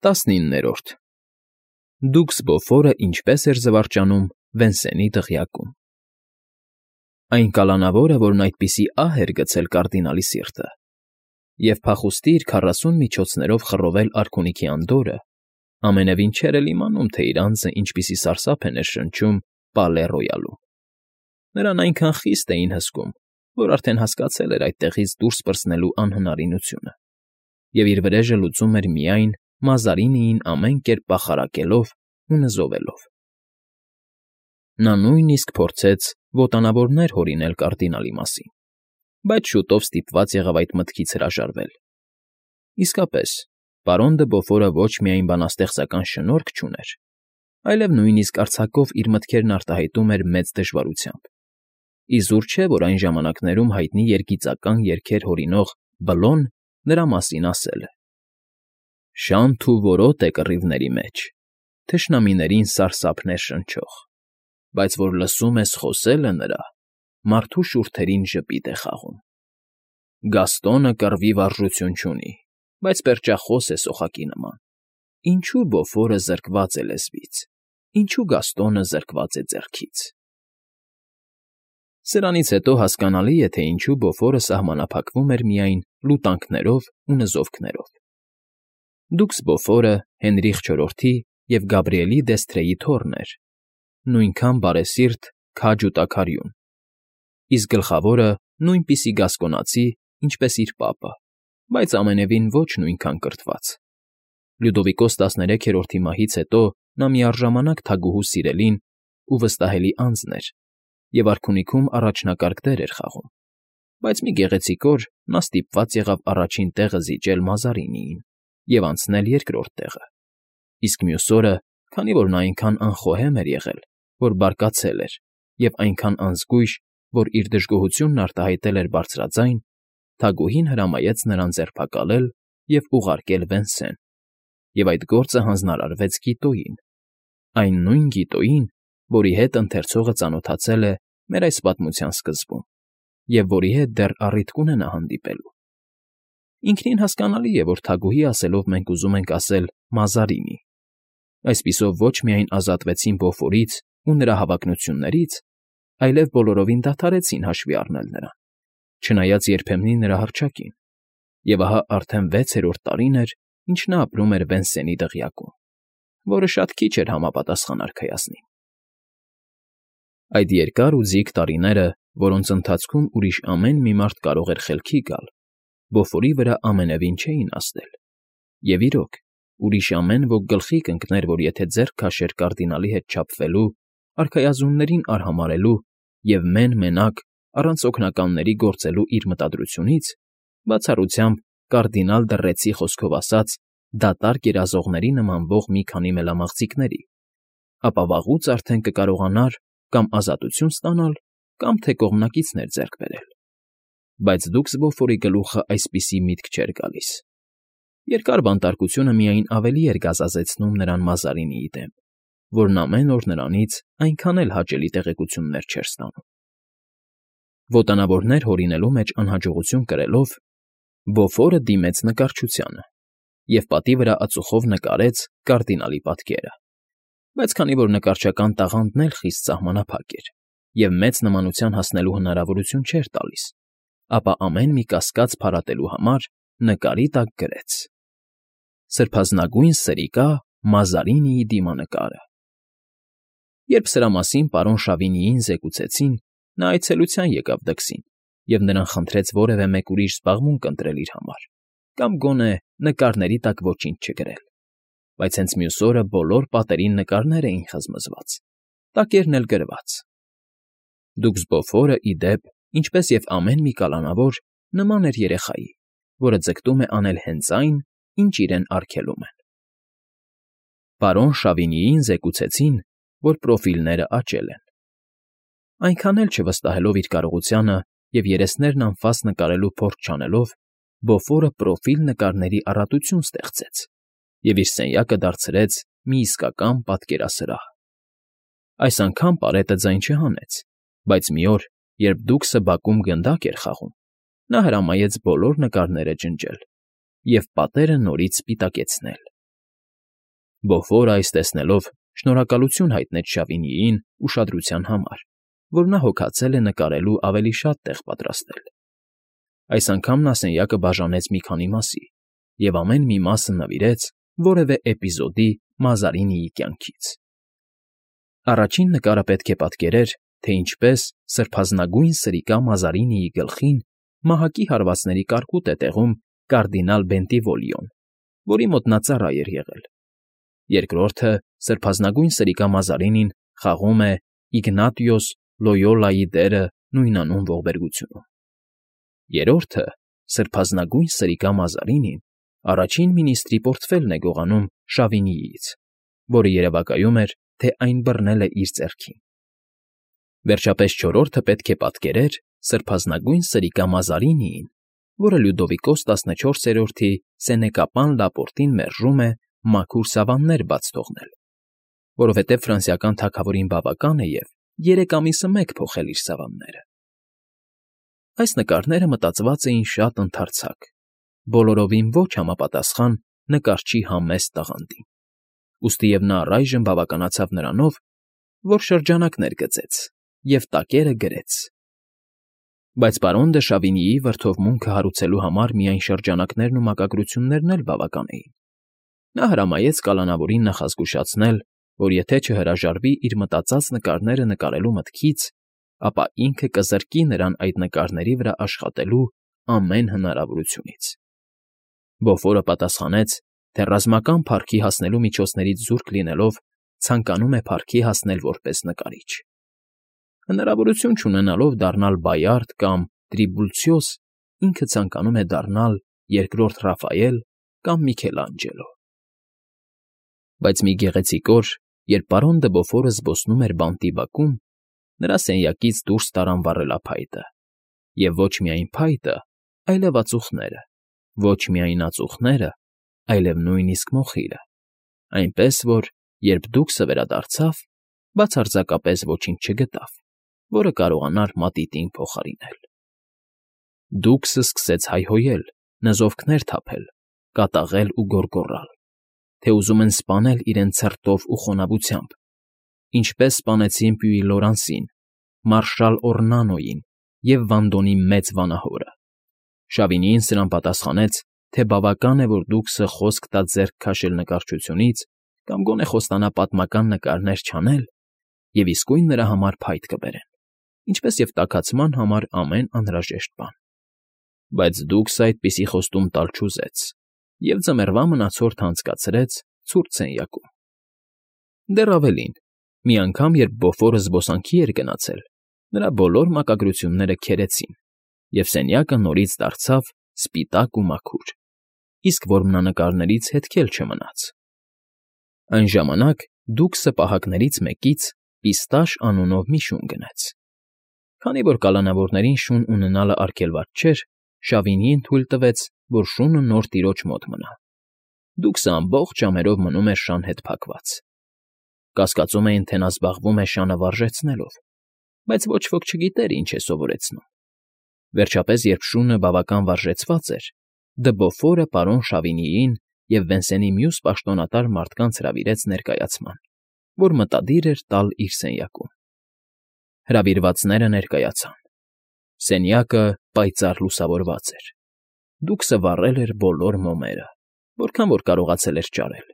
19-րդ Դուքս Բոֆորը ինչպես էր զվարճանում Վենսենի դղյակում։ Այն կալանավորը, որն այդպիսի ահ էր գցել կարդինալի սիրտը, և փախուստի իր 40 միջոցներով խռովել արքունիքի անդորրը, ամենևին չէր էլ իմանում, թե իր անձը ինչպիսի սարսափ է ներշնչում Պալե Ռոյալում։ Նրան այնքան խիստ էին հսկում, որ արդեն հասկացել էր այդտեղից դուրս պրծնելու անհնարինությունը, և իր վրեժը լուծում էր միայն Մազարինիին ամեն կերպ պախարակելով ու նզովելով։ Նա նույնիսկ փորձեց ոտանավորներ հորինել կարդինալի մասին, բայց շուտով ստիպված եղավ այդ մտքից հրաժարվել։ Իսկապես, պարոն դը Բոֆորը ոչ միայն բանաստեղծական շնորհք չուներ, այլև նույնիսկ արձակով իր մտքերն արտահայտում էր մեծ դժվարությամբ։ Իզուր չէ, որ այն ժամանակներում հայտնի երգիծական երգեր հորինող Բլոն նրա մասին ասել է. «Շանթ ու որոտ է կռիվների մեջ, թշնամիներին սարսափներ շնչող, բայց որ լսում ես խոսելը նրա, մարդու շուրթերին ժպիտ է խաղում։ Գաստոնը կռվի վարժություն չունի, բայց պերճախոս է սոխակի նման։ Ինչու Բոֆորը զրկված է լեզվից, ինչու Գաստոնը զրկված է ձեռքից»։ Սրանից հետո հասկանալի է, թե ինչու Բոֆորը սահմանափակվում էր միայն լուտանքներով ու նզովքներով։ Դուքս Բոֆորը Հենրիխ IV-ի և Գաբրիելի դեսթրեի թոռն էր, նույնքան բարեսիրտ, քաջ ու տաքարյուն, իսկ գլխավորը նույնպիսի գասկոնացի, ինչպես իր պապը, բայց ամենևին ոչ նույնքան կրթված։ Լյուդովիկոս 13-րդի մահից հետո նա միառժամանակ թագուհու սիրելին ու վստահելի անձն էր և արքունիքում առաջնակարգ դեր էր խաղում, բայց մի գեղեցիկ օր նա ստիպված եղավ առաջին տեղը զիջել Մազարինիին և անցնել երկրորդ տեղը, իսկ մյուս օրը, քանի որ նա այնքան անխոհեմ էր եղել, որ բարկացել էր, և այնքան անզգույշ, որ իր դժգոհությունն արտահայտել էր բարձրաձայն, թագուհին հրամայեց նրան ձերբակալել և ուղարկել Վենսեն, և այդ գործը հանձնարարվեց Գիտոյին, այն նույն Գիտոյին, որի հետ ընթերցողը ծանոթացել է մեր այս պատմության սկզբում, և որի հետ դեռ առիթ կունենա հանդիպելու։ Ինքնին հասկանալի է, որ թագուհի ասելով մենք ուզում ենք ասել Մազարինի։ Այսպիսով ոչ միայն ազատվեցին Բոֆորից ու նրա հավակնություններից, այլև բոլորովին դադարեցին հաշվի առնել նրան, չնայած երբեմնի նրա հռչակին, և ահա արդեն 6-րդ տարին էր, ինչ նա ապրում էր Վենսենի դղյակում, որը շատ քիչ էր համապատասխան արքայազնին։ Այդ երկար ու ձիգ տարիները, որոնց ընթացքում ուրիշ ամեն մի մարդ կարող էր խելքի գալ, Բոֆորի վրա ամենևին չէին ազդել, և իրոք, ուրիշ ամեն ոք գլխի կընկներ, որ եթե ձեռք քաշեր կարդինալի հետ չափվելու, արքայազններին արհամարհելու և մեն֊մենակ առանց օգնականների գործելու իր մտադրությունից, բացառությամբ կարդինալ դռեցի խոսքով ասած դատարկ երազողների նմանվող մի քանի մելամաղձիկների, ապա վաղուց արդեն կկարողանար կամ ազատություն ստանալ, կամ թե կողմնակիցներ ձեռք բերել։ Բայց դուքս Բոֆորի գլուխը այսպիսի միտք չէր գալիս։ Երկար բանտարկությունը միայն ավելի էր գազազեցնում նրան Մազարինիի դեմ, որն ամեն օր նրանից այնքան էլ հաճելի տեղեկություններ չէր ստանում։ Ոտանավորներ հորինելու մեջ անհաջողություն կրելով, Բոֆորը դիմեց նկարչությանը և պատի վրա ածուխով նկարեց կարդինալի պատկերը, բայց քանի որ նկարչական տաղանդն էլ խիստ սահմանափակ էր և մեծ նմանության հասնելու հնարավորություն չէր տալիս, ապա ամեն մի կասկած փարատելու համար նկարի տակ գրեց. «Սրբազնագույն սրիկա Մազարինիի դիմանկարը»։ Երբ սրա մասին պարոն Շավինիին զեկուցեցին, նա այցելության եկավ դքսին և նրան խնդրեց որևէ մեկ ուրիշ զբաղմունք ընտրել իր համար կամ գոնե նկարների տակ ոչինչ չգրել, բայց հենց մյուս օրը բոլոր պատերին նկարներ էին խզմզված, տակերն էլ գրված։ Դուքս Բոֆորը, ի դեպ, ինչպես և ամեն մի կալանավոր, նման էր երեխայի, որը ձգտում է անել հենց այն, ինչ իրեն արգելում են։ Պարոն Շավինիին զեկուցեցին, որ պրոֆիլները աճել են։ Այնքան էլ չվստահելով իր կարողությանը և երեսներն անֆաս նկարելու փորձ չանելով, Բոֆորը պրոֆիլ նկարների առատություն ստեղծեց և իր սենյակը դարձրեց մի իսկական պատկերասրահ։ Այս անգամ պարետը ձայն չհանեց, բայց մի օր, երբ դուքսը բակում գնդակ էր խաղում, նա հրամայեց բոլոր նկարները ջնջել և պատերը նորից սպիտակեցնել։ Բոֆորը այս տեսնելով շնորհակալություն հայտնեց Շավինիին ուշադրության համար, որ նա հոգացել է նկարելու ավելի շատ տեղ պատրաստել։ Այս անգամ նա սենյակը բաժանեց մի քանի մասի և ամեն մի մասը նվիրեց որևէ էպիզոդի Մազարինիի կյանքից։ Առաջին նկարը պետք է պատկերեր, թե ինչպես սրբազնագույն սրիկա Մազարինիի գլխին մահակի հարվածների կարկուտ է տեղում կարդինալ Բենտիվոլիոն, որի մոտ նա ծառա էր եղել։ Երկրորդը սրբազնագույն սրիկա Մազարինին խաղում է Իգնատիոս Լոյոլայի դերը նույնանուն ողբերգությունում։ Երրորդը սրբազնագույն սրիկա Մազարինին առաջին մինիստրի պորտֆելն է գողանում Շավինիից, որը երևակայում էր, թե այն բռնել է իր ձեռքին։ Վերջապես չորրորդը պետք է պատկերեր սրբազնագույն սրիկա Մազարինիին, որը Լյուդովիկոս 14-րդի Սենեկապան Լապորտին մերժում է մաքուր սավաններ բաց թողնել, որովհետև ֆրանսիական թագավորին բավական է և 3 ամիսը մեկ փոխել իր սավանները։ Այս նկարները մտածված էին շատ ընդարձակ, բոլորովին ոչ համապատասխան նկարչի համեստ տաղանդին, ուստիև նա առայժմ բավականացավ նրանով, որ շրջանակներ գծեց և տակերը գրեց։ Բայց պարոն դը Շավինիի վրդովմունքը հարուցելու համար միայն շրջանակներն ու մակագրություններն էլ բավական էին։ Նա հրամայեց կալանավորին նախազգուշացնել, որ եթե չհրաժարվի իր մտածած նկարները նկարելու մտքից, ապա ինքը կզրկի նրան այդ նկարների վրա աշխատելու ամեն հնարավորությունից։ Բոֆորը պատասխանեց, թե ռազմական փառքի հասնելու միջոցներից զուրկ լինելով ցանկանում է փառքի հասնել որպես նկարիչ։ Հնարավորություն չունենալով դառնալ Բայարդ կամ Տրիբուլցիոս, ինքը ցանկանում է դառնալ երկրորդ Ռաֆայել կամ Միքելանջելո։ Բայց մի գեղեցիկ օր, երբ պարոն դը Բոֆորը զբոսնում էր բանտի բակում, նրա սենյակից դուրս տարան վառելափայտը, և ոչ միայն փայտը, այլև ածուխները, ոչ միայն ածուխները, այլև նույնիսկ մոխիրը, այնպես որ, երբ Դուքսը վերադարձավ, բացարձակապես ոչինչ չգտավ, որը կարողանար մատիտին փոխարինել։ Դուքսը սկսեց հայհոյել, նզովքներ թափել, կատաղել ու գոռգոռալ, թե ուզում են սպանել իրեն ցրտով ու խոնավությամբ, ինչպես սպանեցին Պյուի Լորանսին, մարշալ Օռնանոյին և Վանդոնի մեծ վանահորը։ Շավինիին սրան պատասխանեց, թե բավական է, որ Դուքսը խոսք տա ձեռք քաշել նկարչությունից կամ գոնե խոստանա պատմական նկարներ չանել, և իսկույն նրա համար փայտ կբերեն, ինչպես և տաքացման համար ամեն անհրաժեշտ բան։ Բայց Դուքսը այդպիսի խոստում տալ չուզեց և ձմեռվա մնացորդը անցկացրեց ցուրտ սենյակում։ Դեռ ավելին, մի անգամ, երբ Բոֆորը զբոսանքի էր գնացել, նրա բոլոր մակագրությունները քերեցին, և սենյակը նորից դարձավ սպիտակ ու մաքուր, իսկ որմնանկարներից հետք էլ չմնաց։ Այն ժամանակ Դուքսը պահակներից մեկից Պիստաշ անունով մի շուն գնեց։ Քանի որ կալանավորներին շուն ունենալը արգելված չէր, Շավինիին թույլ տվեց, որ շունը նոր տիրոջ մոտ մնա։ Դուքսը ամբողջ ժամերով մնում էր շան հետ փակված։ Կասկածում էին, թե նա զբաղվում է շանը վարժեցնելով, բայց ոչ ոք չգիտեր ինչ է սովորեցնում։ Վերջապես, երբ շունը բավական վարժեցված էր, դը Բոֆորը պարոն Շավինիին և Վենսենի մյուս պաշտոնատար մարդկանց հրավիրեց ներկայացման, որ մտադիր էր տալ իր սենյակում։ Հրավիրվածները ներկայացան։ Սենյակը պայծառ լուսավորված էր։ Դուքսը վառել էր բոլոր մոմերը, որքան որ կարողացել էր ճարել։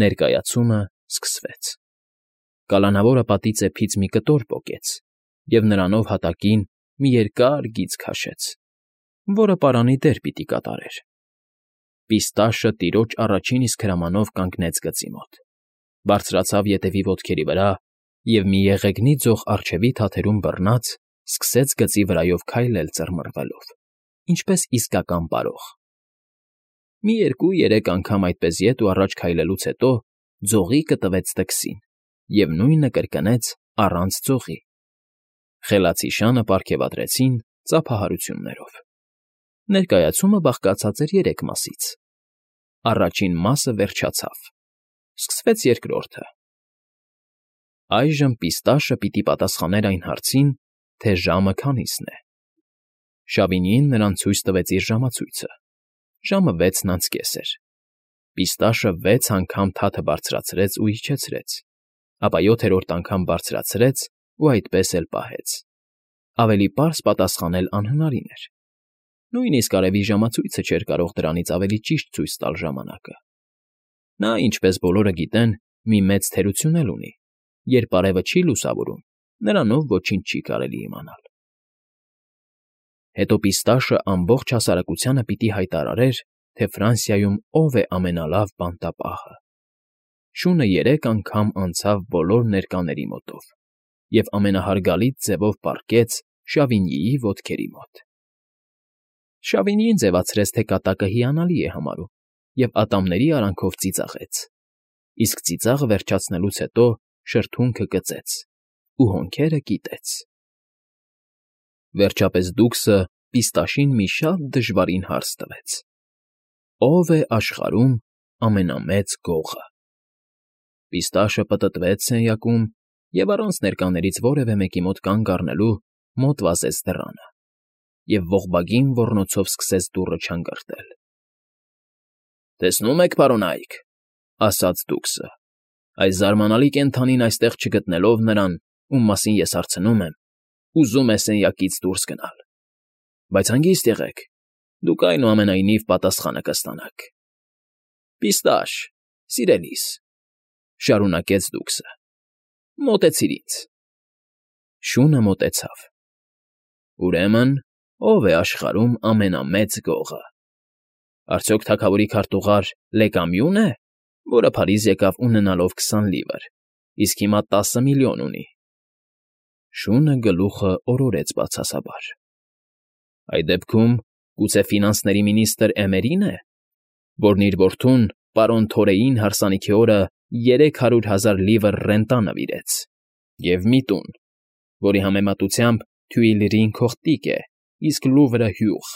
Ներկայացումը սկսվեց։ Կալանավորը պատի ծեփից մի կտոր պոկեց և նրանով հատակին մի երկար գիծ քաշեց, որը պարանի դեր պիտի կատարեր։ Պիստաշը տիրոջ առաջին իսկ հրամանով կանգնեց գծի մոտ, բարձրացավ ետևի ոտքերի վրա և մի եղեգնի ձող առջևի թաթերում բռնած սկսեց գծի վրայով քայլել ծռմռվելով, ինչպես իսկական պարող։ Մի 2-3 անգամ այդպես ետ ու առաջ քայլելուց հետո ձողիկը տվեց տքսին և նույնը կրկնեց առանց ձողի։ Խելացի շանը պարգևատրեցին ծափահարություններով։ Ներկայացումը բաղկացած էր 3 մասից։ Առաջին մասը վերջացավ։ Սկսվեց երկրորդը։ Այժմ Պիստաշը պիտի պատասխաներ այն հարցին, թե ժամը քանիսն է։ Շավինիին նրան ցույց տվեց իր ժամացույցը։ Ժամը 6:30 էր։ Պիստաշը 6 անգամ թաթը բարձրացրեց ու իջեցրեց, ապա 7-րդ անգամ բարձրացրեց ու այդպես էլ պահեց։ Ավելի պարզ պատասխանել անհնարին էր։ Նույնիսկ արևի ժամացույցը չէր կարող դրանից ավելի ճիշտ ցույց տալ ժամանակը։ Նա, ինչպես բոլորը գիտեն, մի մեծ թերություն էլ ունի. երբ արևը չի լուսավորում, նրանով ոչինչ չի կարելի իմանալ։ Հետո Պիստաշը ամբողջ հասարակությանը պիտի հայտարարեր, թե Ֆրանսիայում ով է ամենալավ բանտապահը։ Շունը 3 անգամ անցավ բոլոր ներկաների մոտով և ամենահարգալից ձևով պառկեց Շավինիի ոտքերի մոտ։ Շավինիին ձևացրեց, թե կատակը հիանալի է համարում, և ատամների արանքով ծիծաղեց, իսկ ծիծաղը վերջացնելուց հետո շրթունքը կծեց ու հոնքերը կիտեց։ Վերջապես Դուքսը Պիստաշին մի շատ դժվարին հարց տվեց. ո՞վ է աշխարհում ամենամեծ գողը։ Պիստաշը պտտվեց սենյակում և առանց ներկաներից որևէ մեկի մոտ կանգ առնելու մոտ վազեց դռանը և ողբագին ոռնոցով սկսեց դուռը չանգրտել։ «Տեսնում եք, պարոնայք,֊ ասաց Դուքսը,֊ այս զարմանալի կենդանին այստեղ չգտնելով նրան, ում մասին ես հարցնում եմ, ուզում է սենյակից դուրս գնալ։ Բայց հանգիստ եղեք, դուք այնուամենայնիվ պատասխանը կստանաք։ Պիստաշ, սիրելիս,֊ շարունակեց Դուքսը,֊ մոտեցիր ինձ»։ Շունը մոտեցավ։ «Ուրեմն, ո՞վ է աշխարհում ամենամեծ գողը։ Արդյոք թագավորի քարտուղար Լեկամյո՞ւն է, որը Փարիզ եկավ ունենալով 20 լիվր, իսկ հիմա 10 միլիոն ունի»։ Շունը գլուխը օրորեց բացասաբար։ «Այդ դեպքում գուցե ֆինանսների մինիստր Էմերին է, որն իր որդուն պարոն Թորեին հարսանիքի օրը 300,000 լիվր ռենտա նվիրեց, և մի տուն, որի համեմատությամբ Թյուիլրին քողտիկ է, իսկ Լուվրը՝ հյուղ»։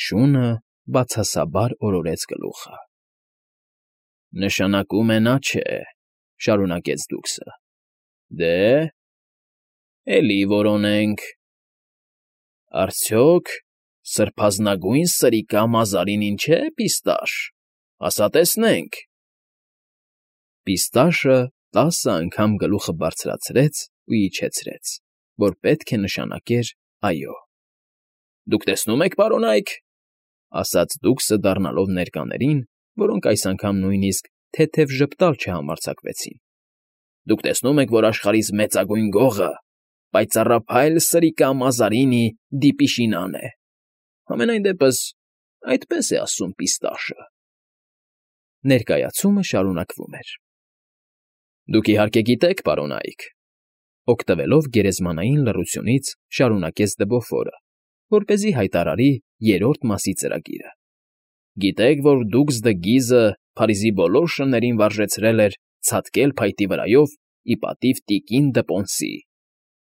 Շունը բացասաբար օրորեց գլուխը։ «Նշանակում է նա չէ,֊ շարունակեց Դուքսը։ Դե՞, էլի որոնենք. արդյոք սրբազնագույն սրիկա Մազարինին չէ, Պիստաշ, ասա տեսնենք»։ Պիստաշը 10 անգամ գլուխը բարձրացրեց ու իջեցրեց, որ պետք է նշանակեր այո։ «Դուք տեսնում եք, պարոնայք,֊ ասաց Դուքսը դառնալով ներկաներին, որոնք այս անգամ նույնիսկ թեթև ժպտալ չհամարձակվեցին,֊ դուք տեսնում եք, որ աշխարհիս մեծագույն գողը պայծառափայլ սրիկա Մազարինի դիպիշինան է։ Համենայն դեպս այդպես է ասում Պիստաշը»։ Ներկայացումը շարունակվում էր։ «Դուք իհարկե գիտեք, պարոնայք,֊ օգտվելով գերեզմանային լռությունից շարունակեց Դբոֆորը, որպեսզի հայտարարի 3-րդ մասի ծրագիրը։ Գիտեք, որ Դուքս դը Գիզը Փարիզի բոլոր շներին վարժեցրել էր ցատկել փայտի վրայով ի պատիվ տիկին դը Պոնսի,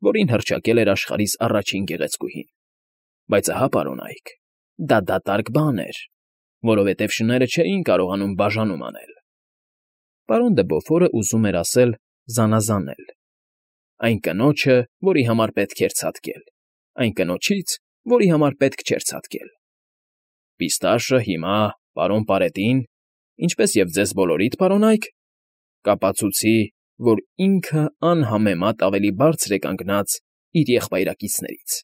որին հռչակել էր աշխարհիս առաջին գեղեցկուհին։ Բայց ահա, պարոնայք, դա դատարկ բան էր, որովհետև շները չէին կարողանում բաժանում անել»։ Պարոն Դեբոֆորը ուզում էր ասել «զանազանել»։ Այն կնոջը, որի համար պետք էր ցատկել, այն կնոջից, որի համար պետք չէր ցատկել։ Պիստաշը հիմա պարոն Պարետին, ինչպես և ձեզ բոլորիդ, պարոնայք, կապացուցի, որ ինքը անհամեմատ ավելի բարձր է կանգնած իր եղբայրակիցներից։